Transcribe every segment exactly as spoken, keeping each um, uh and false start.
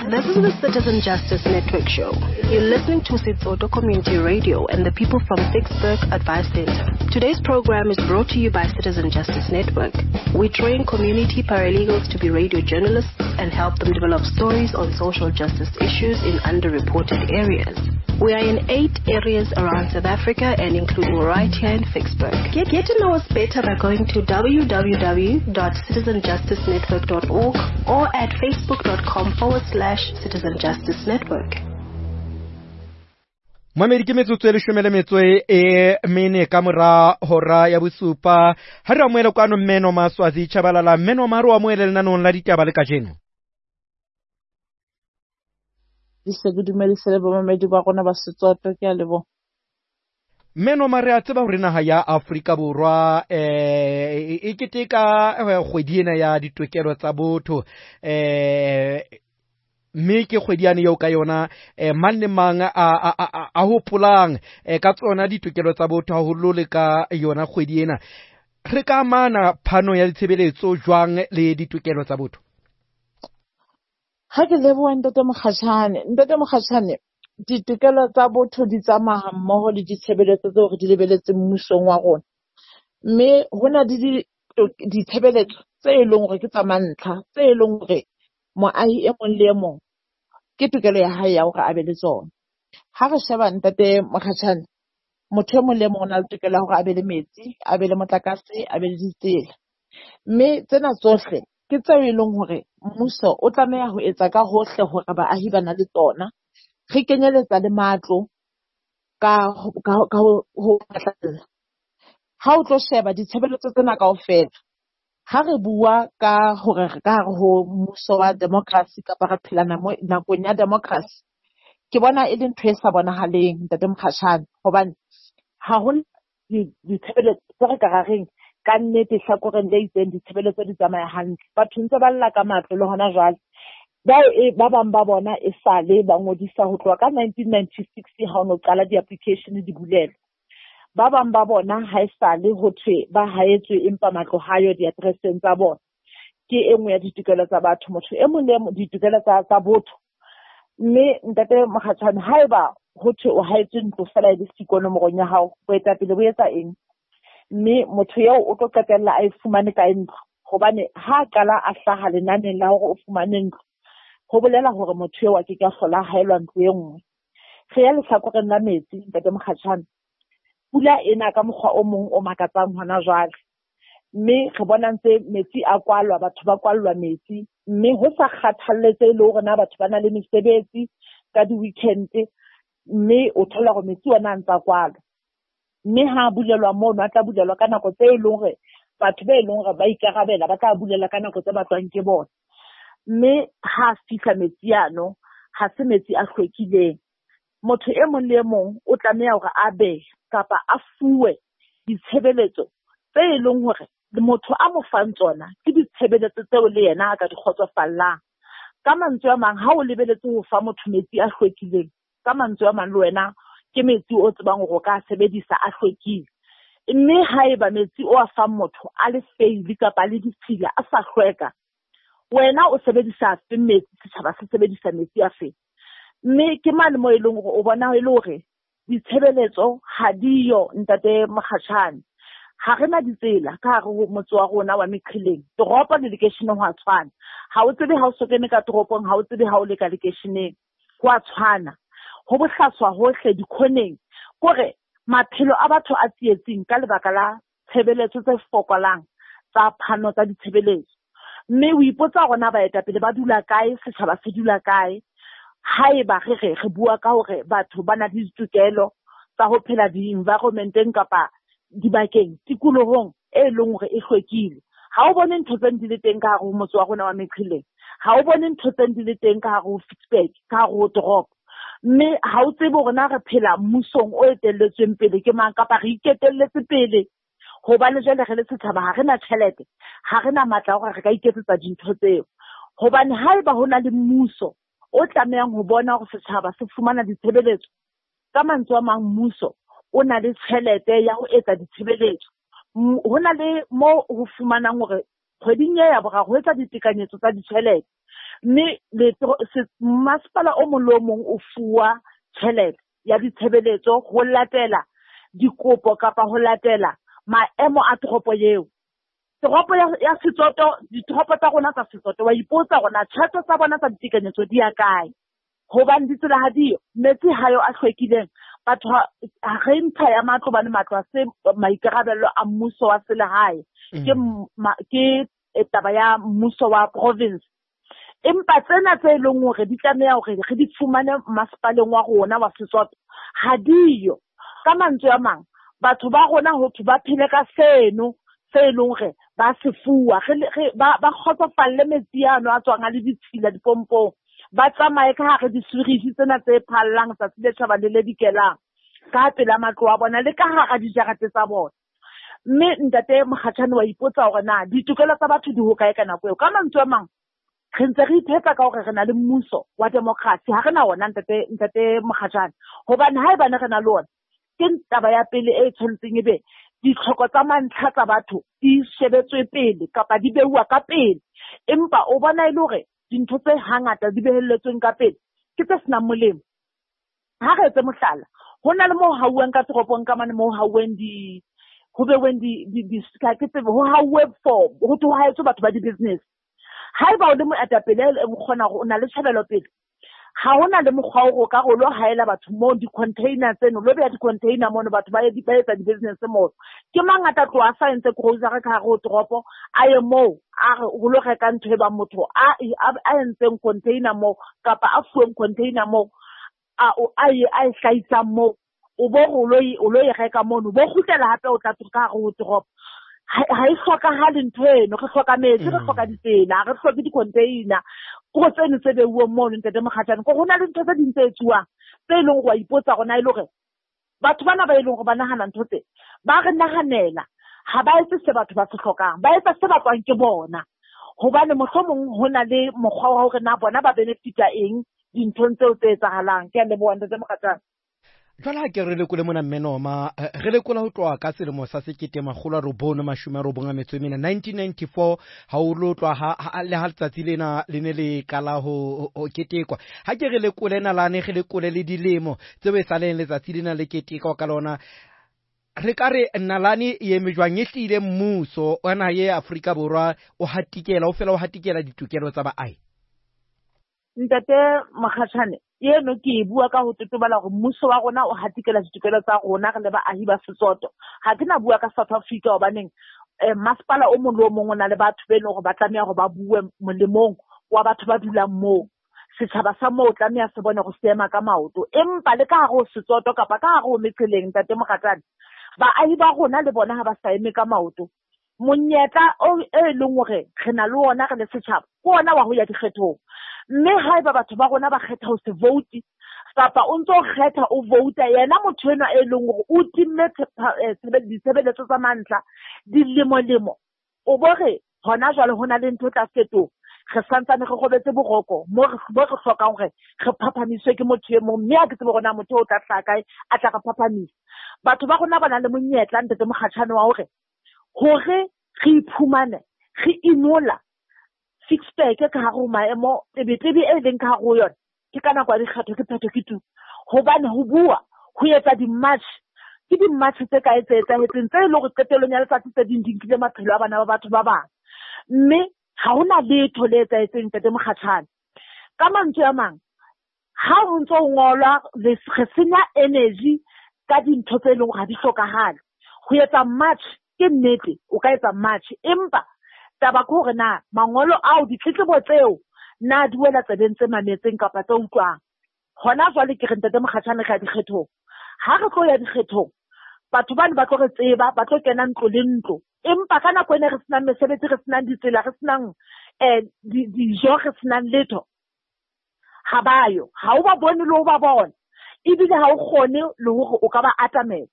This is the Citizen Justice Network show. You're listening to Setsoto Community Radio and the people from Ficksburg Advice Center. Today's program is brought to you by Citizen Justice Network. We train community paralegals to be radio journalists and help them develop stories on social justice issues in underreported areas. We are in eight areas around South Africa and including right here in Ficksburg. Get, get to know us better by going to w w w dot citizen justice network dot org or at facebook.com forward slash Citizen Justice Network. Mamedi ke metsotso e leshome le metso e mene ka mora hora ya bosupa. Ha re amohele kwano mme Noma Swazi Tshabalala. Mme Noma, re o amohele lenanong la ditaba le kajeno. Ke dumedise le bomamedi ba rona ba Setsoto, ke a leboha. Mme Noma, re a tseba hore naha ya Afrika Borwa eh e keteka kgwedi ena ya ditokelo tsa botho, eh mme ke kgwedi yane eo ka yona eh mang le mang a a a hopolang ka tsona ditokelo tsa botho haholo le ka yona kgwedi ena. Re ka amana phano ya ditshebeletso jwang le ditokelo tsa botho? Ha ke leboha ntate Mokgatjhane. Ntate Mokgatjhane, ditokelo tsa botho di tsamaya mmoho le ditshebeletso tseo re di lebeletseng mmusong wa rona. Mme ho na le ditshebeletso tse e leng hore ke tsa mantlha, tse e leng hore moahi e mong le e mong ke tokelo ya hae ya hore a be le tsona. Ha re sheba ntate Mokgatjhane, motho e mong le e mong o na le tokelo ya hore a be le metsi, a be le motlakase, a be le ditsela. Mme tsena tsohle ke tseo e leng hore mmuso o tlameha ho etsa ka hohle hore baahi ba na le tsona. Re kenyeletsa le matlo ka ka ka ho phatlalla. Ha o tlo sheba ditshebeletso tsena kaofela, ha re bua ka hore re ka hare ho mmuso wa democracy kapa re phela nakong ya democracy, ke bona e le ntho e sa bonahaleng ntate Mokgatjhane, hobane ha ho ditshebeletso tse re ka ra reng ka nnete hlakoreng le itseng ditshebeletso di tsamaya hantle. Batho ntse ba lla ka matlo le hona jwale. Bao e ba bang ba bona e sale ba ngodisa ho tloha ka nineteen ninety-six ha o no qala di-application di bulelwa. Ba bang ba bona ha e sale ho thwe ba haetswe empa matlo ha yo di-address-eng tsa bona. Ke e nngwe ya ditokelo tsa batho, motho e mong le e mong ditokelo tsa tsa botho. Mme ntate Mokgatjhane, haeba ho thwe o haetswe ntlo fela e le siko nomorong ya hao, boetapele bo etsa eng? Mme motho eo o tlo qetella a e fumane kae ntlo? Hobane ha qala a hlaha lenaneng la hore o fumane ntlo, ho bolela hore motho eo a ke ke a hlola haelwa ntlo e nngwe. Re ya lehlakoreng la metsi, ntate Mokgatjhane. Pula ena ka mokgwa o mong o makatsang hona jwale. Mme re bona ntse metsi a kwalwa, batho ba kwallwa metsi. Mme ho sa kgathaletse le hore na batho ba na le mesebetsi ka di-weekend, mme o thola hore metsi ona a ntsa kwalwa. Mme ha bulelwa mono, a tla bulelwa ka nako tse e leng hore batho be e leng hore ba ikarabela ba tla bulela ka nako tse batlwang ke bona. Mme ha fihla metsi ano, ha se metsi a hlwekileng. Motho e mong le e mong o tlameha hore a be kapa a fuwe ditshebeletso tse e leng hore motho a mo fang tsona ke ditshebeletso tseo le yena a ka di kgotsofallang. Ka mantswe a mang, ha o lebeletse ho fa motho metsi a hlwekileng, ka mantswe a mang le wena ke metsi o tsebang hore o ka sebedisa a hlwekile. Mme haeba metsi o a fang motho a le feili kapa le ditshila a sa hlweka, wena o sebedisa afe metsi, setjhaba se sebedisa metsi a fe? Mme ke mane moo e leng hore o bona e le hore ditshebeletso ha diyo ntate Mokgatjhane. Ha re na ditsela ka hare ho motse wa rona wa Meqheleng. Toropo le lekeisheneng ho a tshwana. Ha o tsebe ha o so kene ka toropong, ha o tsebe ha o le ka lekeisheneng. Ho a tshwana. Ho bohlaswa hohle dikhoneng. Kore maphelo a batho a tsietsing ka lebaka la tshebeletso tse fokolang tsa phano tsa ditshebeletso. Mme o ipotsa hore na baetapele ba dula kae, setjhaba se dula kae. Haeba re re re bua ka hore batho ba na le ditokelo tsa ho phela di-environment-eng kapa dibakeng tikolohong e leng hore e hlwekile. Ha o bone ntho tse di le teng ka hare ho motse wa rona wa Meqheleng. Ha o bone ntho tse di le teng ka hare ho Ficksburg, ka hare ho toropo. Mme ha o tsebe hore na re phela mmusong o etelletsweng pele ke mang kapa re iketelletse pele. Hobane jwale re le setjhaba ha re na tjhelete, ha re na matla a hore re ka iketsetsa dintho tseo. Hobane haeba ho na le mmuso o tlamehang ho bona hore setjhaba se fumana ditshebeletso, ka mantswe a mang mmuso o na le tjhelete ya ho etsa ditshebeletso. Ho na le moo ho fumanang hore kgweding e ya boraro ho etsa ditekanyetso tsa ditjhelete. Mme masepala o mong le o mong o fuwa tjhelete ya ditshebeletso ho latela dikopo kapa ho latela maemo a toropo eo. Toropo ya, ya Setsoto, ditoropo tsa rona tsa Setsoto, wa ipotsa hore na tjhelete tsa bona tsa ditekanyetso di ya kae. Hobane ditsela ha diyo, metsi ha yo a hlwekileng. Batho ha re ntsha ya matlo hobane matlo ha se maikarabelo a mmuso wa selehae. Ke ke taba ya mmuso wa province. Empa tsena tse leng hore di tlameha hore re di fumane masepaleng wa rona wa Setsoto ha diyo. Ka mantswe a mang, batho ba rona ho thwe ba phele ka seno se leng hore ba se fuwa, re ba ba kgotsofalle metsi ano a tswang a le ditshila dipompong, ba tsamaye ka hare disurishe tsena tse phallang tsatsi le tjhaba le le dikelang ka pela matlo a bona le ka hara dijarete tsa bona. Mme ntate Mokgatjhane wa ipotsa hore na ditokelo tsa batho di hokae ka nako eo. Ka mantswe a mang, re ntse re iphetsa ka hore re na le mmuso wa democracy, ha re na ona ntate ntate Mokgatjhane. Hobane haebane re na le ona, ke taba ya pele e tshwanetseng ebe ditlhoko tsa mantlha tsa batho di shebetswe pele kapa di beuwa ka pele. Empa o bona e le hore dintho tse hangata di behelletsweng ka pele ke tse senang molemo. Ha re etse mohlala, ho na le moo hauweng ka toropong ka mane moo hauweng di ho beweng di di di ka ke tsebe ho hauwe for ho thwe ho haetswe batho ba di-business. Haeba o le moetapele o kgona hore o na le tjhebelopele, ha hona le mokgwa o ka re o lo haela batho moo di-container tseno, lo beha di-container mono batho ba ba etsa di-business moo. Ke mang a tla tloha a sa entse grocery ka hare ho toropo, a ye moo a re o lo reka ntho e bang motho a a entseng container moo kapa a fuweng container moo a a e a e hlahisang moo, o bo re o lo o lo e reka mono, bo kgutlela hape o tla ka hare ho toropo. Ha e hlokahale ntho eno, re hloka metsi, re hloka ditsela, re hloke di-container. Ko tseno tse beuweng mono ntate Mokgatjhane, ko ho na le ntho tse ding tse etsuwang tse leng hore wa ipotsa hore na e le hore batho bana ba e leng hore ba nahana ntho tse, ba re nahanela, ha ba etse se batho ba se hlokang, ba etsa se batlwang ke bona. Hobane mohlomong ho na le mokgwa wa hore na bona ba benefita eng dinthong tseo tse etsahalang. Ke a leboha ntate Mokgatjhane. Jwale ha ke re lekole mona mme Noma, re lekola ho tloha ka selemo sa sekete makgolo a robong mashome a robong a metso e mene nineteen ninety-four ha o lo tloha ha le ha letsatsi lena le ne le qala ho ho ketekwa. Ha ke re lekole nalane, re lekole le dilemo tseo e saleng letsatsi lena le ketekwa ka lona. Re ka re nalane e eme jwang, e hlile mmuso wa naha ya Afrika Borwa o hatikela o fela o hatikela ditokelo tsa baahi? Ntate Mokgatjhane, eno ke e bua ka ho totobala hore mmuso wa rona o hatikela ditokelo tsa rona re le baahi ba Setsoto. Ha ke na bua ka South Africa hobaneng eh, masepala o mong le o mong o na le batho be leng hore ba tlameha hore ba bue molemong wa batho ba dulang moo. Setjhaba sa moo tlameha se bone hore se ema ka maoto. Empa le ka hare ho Setsoto kapa ka hare ho metseleng ntate Mokgatjhane, baahi ba rona le bona ha ba sa eme ka maoto. Monyetla o e leng hore re na le ona re le setjhaba ke ona wa ho ya dikgethong. Mme haeba batho ba rona ba kgetha ho se vote kapa o ntso kgetha o vouta yena motho enwa e leng hore o timme ditshebeletso tsa mantlha dilemo-lemo, o bo re hona jwale ho na le ntho e tla fetoha. Re santsane re robetse boroko mo re hlokang hore re phaphamiswe ke motho e mong, mme ha ke tsebe hore na motho o tla hlaha kae a tla re phaphamisa. Batho ba rona ba na le monyetla ntate Mokgatjhane wa hore hore re iphumane re inola Ficksburg ka hare ho maemo tebetebe e leng ka hare ho yona, ke ka nako ya dikgetho ke phetho ke tu. Hobane ho bua ho etsa di-march, ke di-march tse kae tse etsahetseng tse e leng hore qetellong ya letsatsi tse ding di nkile maphelo a bana ba batho ba bang. Mme ha hona letho le etsahetseng ntate Mokgatjhane. Ka mantswe a mang, ha ho ntso ho ngolwa re senya energy ka dintho tse leng hore ha di hlokahale. Ho etsa march ke nnete, o ka etsa march, empa taba ke hore na mangolo ao ditletlebo tseo na di wela tsebeng tse mametseng kapa tse utlwang. Hona jwale ke re ntate Mokgatjhane re ya dikgethong. Ha re tlo ya dikgethong, batho bano ba tlo re tseba, ba tlo kena ntlo le ntlo. Empa ka nako ena re senang mesebetsi, re senang ditsela, re senang eh dijo, re senang letho, ha ba yo. Ha o ba bone le ho ba bona. Ebile ha o kgone le hore o ka ba atamela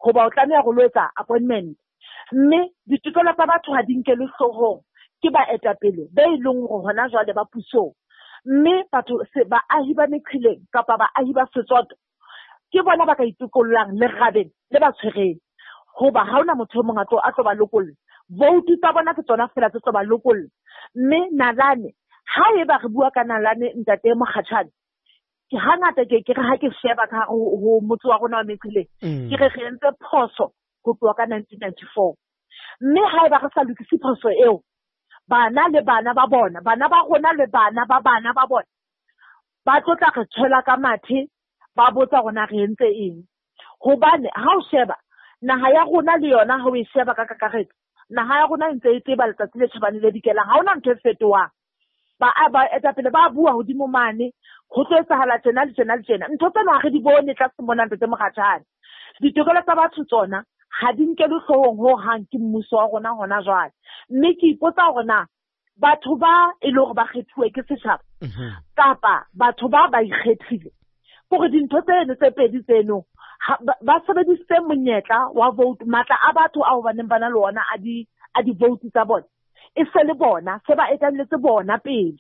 hoba o tlameha ho lo etsa appointment. Mme ditokelo tsa batho ha di nkelwe hloohong ke baetapele be e leng hore hona jwale ba pusong. Mme batho baahi ba meqheleng kapa baahi ba Setsoto ke bona ba ka itokollang lerabeng le ba tshwereng. Hoba ha hona motho e mong a tlo a tlo ba lokolla. Voutu tsa bona ke tsona feela tse tlo ba lokolla. Mme nalane Haeba re bua ka nalane ntate Mokgatjhane, ke hangata ke ke re ha ke sheba ka ho motse wa rona wa Meqheleng, ke re re entse phoso ho tloha ka nineteen ninety-four. Mme haeba re sa lokise phoso eo, bana le bana ba bona, bana ba rona le bana ba bana ba bona, ba tlo tla re tshwela ka mathe, ba botsa rona re entse eng. Hobane ha o sheba naha ya rona le yona, ha o e sheba ka kakaretso, naha ya rona e ntse e tseba letsatsi le tjhabang le dikelang, ha hona ntho e fetohang. Ba ba etapele ba bua hodimo mane, ho tlo etsahala tjena le tjena le tjena. Ntho tsena ha re di bone tlase mona ntate Mokgatjhane. Ditokelo tsa batho tsona ha di nkelwe hloohong ho hang ke mmuso wa rona hona jwale. Mme ke ipotsa hore na batho ba e le hore ba kgethuwe ke setjhaba kapa batho ba ba ikgethile, hore dintho tseno tse pedi tseno ba sebedisitse monyetla wa vote, matla a batho ao ba neng ba na le ona a di a di-vote tsa bona, e se le bona se ba etalletse bona pele.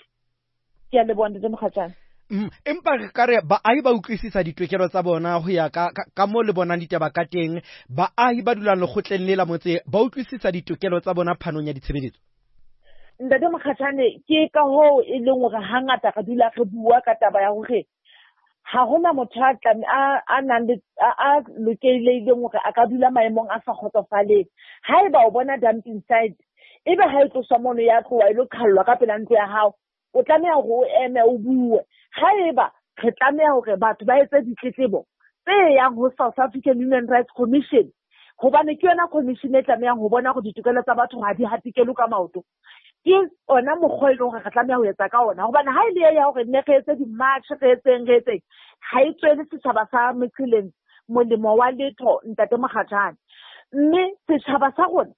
Ke a leboha ntate Mokgatjhane. Mm, empa re ka re baahi ba utlwisisa ditokelo tsa bona ho ya ka ka mo le bonang ditaba ka teng. Baahi ba dulang lekgotleng le la motse ba utlwisisa ditokelo tsa bona phanong ya ditshebeletso. Ntate Mokgatjhane, ke ka hoo e leng hore hangata re dula re bua ka taba ya hore ha hona motho a a a nang le a lokelehileng hore a ka dula maemong a sa kgotsofaleng. Haeba o bona dumping site, ebe ha e tloswa mono ya tloha e lo qhallwa ka pela ntlo ya hao, o tlameha hore o eme o bue. Haeba re tlameha hore batho ba etse ditletlebo tse yang ho South African Human Rights Commission, hobane ke yona commission e tlamehang ho bona hore ditokelo tsa batho ha di hatikelwe ka maoto. Ke ona mokgwa e leng hore re tlameha ho etsa ka ona, hobane ha e le ya hore ne re etse di-march, re etseng re etseng, ha e tswele setjhaba sa Meqheleng molemo wa letho ntate Mokgatjhane. Mme setjhaba sa rona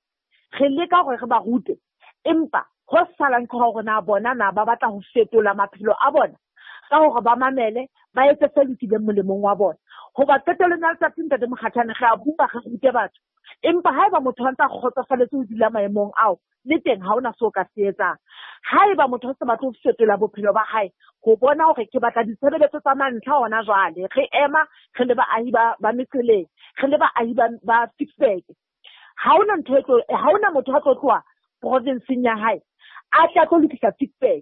re leka hore re ba rute, empa ho salang ke hore na bona na ba batla ho fetola maphelo a bona ka hore ba mamele, ba etse se lokileng molemong wa bona. Hoba qetellong ya letsatsi ntate Mokgatjhane, re a bua re rute batho, empa haeba motho a ntse a kgotsofaletse ho dula maemong ao, le teng ha hona seo ka se etsang. Haeba motho a sa batle ho fetola bophelo ba hae, ho bona hore ke batla ditshebeletso tsa mantlha hona jwale, re ema re le baahi ba ba Meqheleng, re le baahi ba ba Ficksburg, ha hona ntho e tlo, ha hona motho a tlo tloha provinseng ya hae a tla tlo lokisa Ficksburg.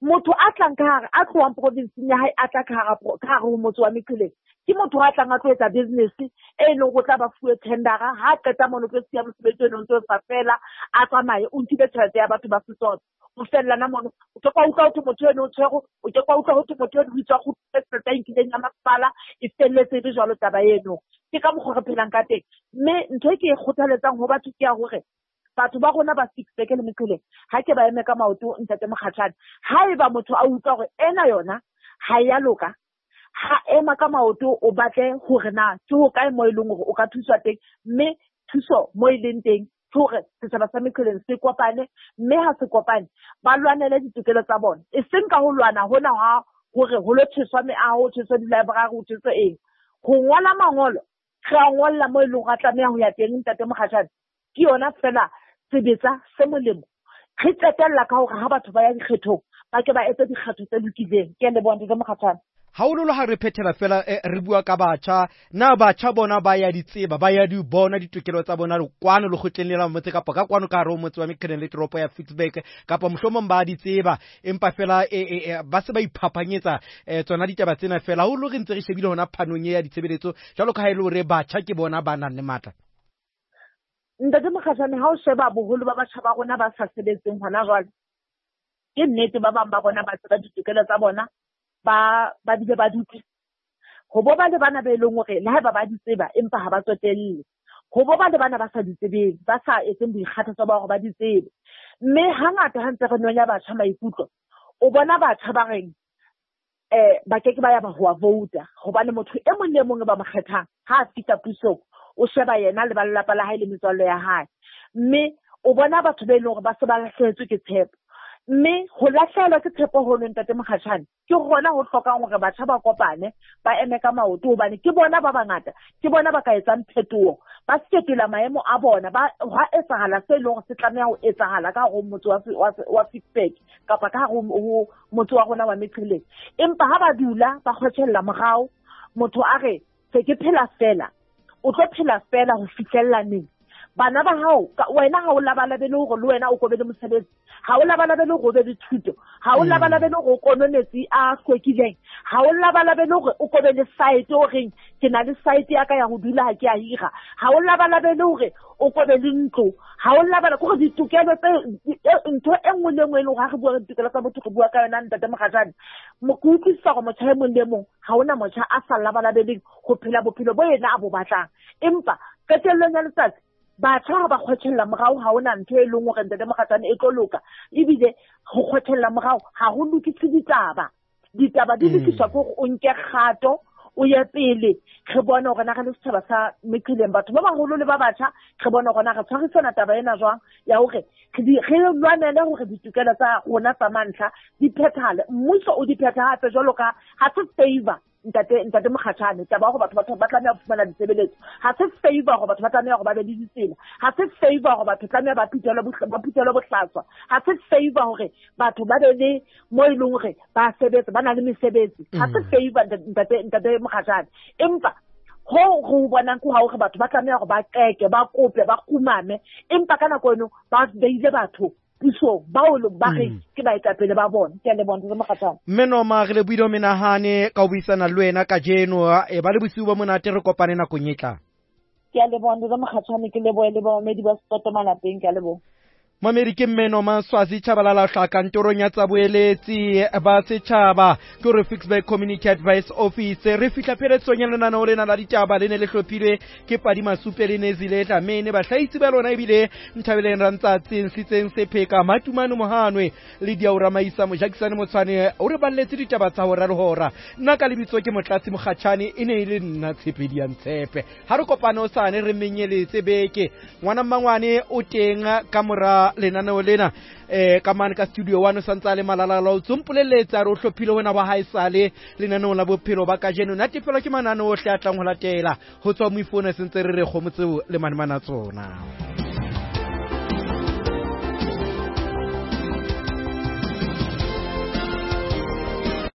Motho a tlang ka hare, a tlohang provinseng ya hae a tla ka hara ka hare ho motse wa Meqheleng, ke motho a tlang a tlo etsa business e leng hore o tla ba fuwe tendera, ha qeta mono tlo siya mosebetsi o ntse o sa fela, a tsamaye, o nkile tjhelete ya batho ba Setswana. O fellana mono, o ke kwa utlwa ho thwe motho eno o tshwerwe, o ke kwa utlwa ho thwe motho eno o itswa kgutlisa tjhelete a nkileng ya masepala, e felletse e le jwalo taba eno. Ke ka mokgwa re phelang ka teng. Mme ntho e ke e kgothaletsang ho batho ke ya hore batho ba rona ba Ficksburg le Meqheleng ha ke ba eme ka maoto ntate Mokgatjhane. Haeba motho a utlwa hore ena yona ha ya loka, ha ema ka maoto, o batle hore na ke ho kae mo e leng hore o ka thuswa teng, mme thuso mo e leng teng ke hore setjhaba sa Meqheleng se kopane, mme ha se kopane ba lwanele ditokelo tsa bona, e seng ka ho lwana hona ha hore ho lo tjheswa meaho, ho tjheswa di-library, ho tjheswa eng. Ho ngola mangolo, re a ngolla mo e leng hore a tlameha ho ya teng ntate Mokgatjhane, ke yona fela sebetsa se molemo. Re qetella ka hore ha batho ba ya dikgethong, ba ke ba etse dikgetho tse lokileng. Ke a leboha ntate Mokgatjhane. Haholoholo ha re phethela fela, re bua ka batjha, na batjha bona ba ya di tseba, ba ya di bona ditokelo tsa bona kwano lekgotleng le la motse kapa ka kwano ka hare ho motse wa Meqheleng le toropo ya Ficksburg, kapa mohlomong ba di tseba empa fela ba se ba iphapanyetsa tsona ditaba tsena fela. Haholo re ntse re shebile hona phanong e ya ditshebeletso, jwalo ka ha e le hore batjha ke bona ba nang le matla. Ntate Mokgatjhane, ha o sheba boholo ba batjha ba rona ba sa sebetseng hona jwale, ke nnete ba bang ba bona ba tseba ditokelo tsa bona, ba ba bile ba dutse. Ho bo ba le bana be leng hore le haeba ba di tseba empa ha ba tsotelle. Ho bo ba le bana ba sa di tsebeng, ba sa etseng boikgathatso ba hore ba di tsebe. Mme hangata ha ntse re nonya batjha maikutlo, o bona batjha ba reng eh ba ke ke ba ya ba ho vouta, hobane motho e mong le mong e ba mo kgethang ha a fihla pusong, o sheba yena le ba lelapa la hae le metswalle ya hae. Mme o bona batho be leng hore ba se ba lahlehetswe ke tshepo. Mme ho lahlehelwa ke tshepo hono ntate Mokgatjhane, ke hona ho hlokang hore batjha ba kopane, ba eme ka maoto, hobane ke bona ba bangata, ke bona ba ka etsang phetoho, ba fetola maemo a bona, ba hwa etsahala se leng hore se tlameha ho etsahala ka hare ho motse wa wa wa Ficksburg kapa ka hare ho motse wa rona wa Meqheleng. Empa ha ba dula ba kgotjhella morao, motho a re se ke phela fela, o tlo phela fela ho fihlella neng? Bana ba hao wena ha o labalabele hore le wena o kobe le mosebetsi, ha o labalabele hore o be le thuto, ha o labalabele hore o konwe metsi a hlwekileng, ha o labalabele hore o kobe le site o reng ke na le site ya ka ya ho dula ha ke a hira, ha o labalabele hore o kobe le ntlo, ha o labala ke hore ditokelo tse ntho e nngwe le nngwe e leng hore ha re bua ka ditokelo tsa botho re bua ka yona ntate Mokgatjhane. Ke utlwisisa hore motjha e mong le mong ha hona motjha a sa labalabeleng ho phela bophelo bo yena a bo batlang, empa qetellong ya letsatsi batjha ha ba kgotjhella morao ha hona ntho e leng hore ntate Mokgatjhane e tlo loka, ebile ho kgotjhella morao ha ho lokise ditaba. Ditaba di lokiswa ke hore o nke kgato o ye pele, re bone hore na re le setjhaba sa meqheleng, batho ba baholo le ba batjha, re bone hore na re tshwarisana taba ena jwang ya hore re lwanele hore ditokelo tsa rona tsa mantlha di phethahale, mmuso o di phethahatse jwalo ka ha se favor ntate ntate Mokgatjhane taba ya hore batho batho ba tlameha ho fumana ditshebeletso, ha se favor hore batho ba tlameha hore ba be le ditsela, ha se favor hore batho tlameha ba phuthelwe ba phuthelwe bohlaswa, ha se favor hore batho ba be le mo e leng hore ba sebetsa ba na le mesebetsi, ha se favor ntate ntate Mokgatjhane. Empa ho ho bonang ke ha hore batho ba tlameha hore ba qeke, ba kope, ba kumame, empa ka nako eno ba beile batho pusong bao ba re ke baetapele ba bona. Ke a leboha ntate Mokgatjhane. Mme Noma, re lebohile ho menahane ka ho buisana le wena kajeno, e ba le bosiu bo monate, re kopane nakong e tlang. Ke a leboha ntate Mokgatjhane, ke lebohe le bamamedi ba Setsotho malapeng, ke a leboha. Mamedi ke mme Noma Swazi Tshabalala hla kantorong ya tsa boeletsi ba setjhaba ke hore Ficksburg Community Advice Office. Re fihla pheletsong ya lenaneo lena la ditaba, le ne le hlophilwe ke Padi Masupe le Nezile Dlamini, bahlahisi ba lona ebile Nthabeleng Rantsatsi, Nsitseng Sepheka, Matumane Mohanwe le Diaura Maisa Mojakisane Motshwane o re balletse ditaba tsa hora le hora. Nna ka lebitso ke Motlatsi Mokgatjhane, e ne e le nna Tshepedi ya Ntshepe. Ha re kopane hosane re menyeletse beke. Ngwana mmangwane o teng ka mora lenaneo lena eh ka mane ka studio one o santsa le malalala o tsompolelletsa re o hlophile hona ba haesale lenaneo la bophelo ba kajeno. Natefelwa ke mananeo ohle a tlang ho latela ho tswa moifone sentse re re kgomo tseo le manemana tsona.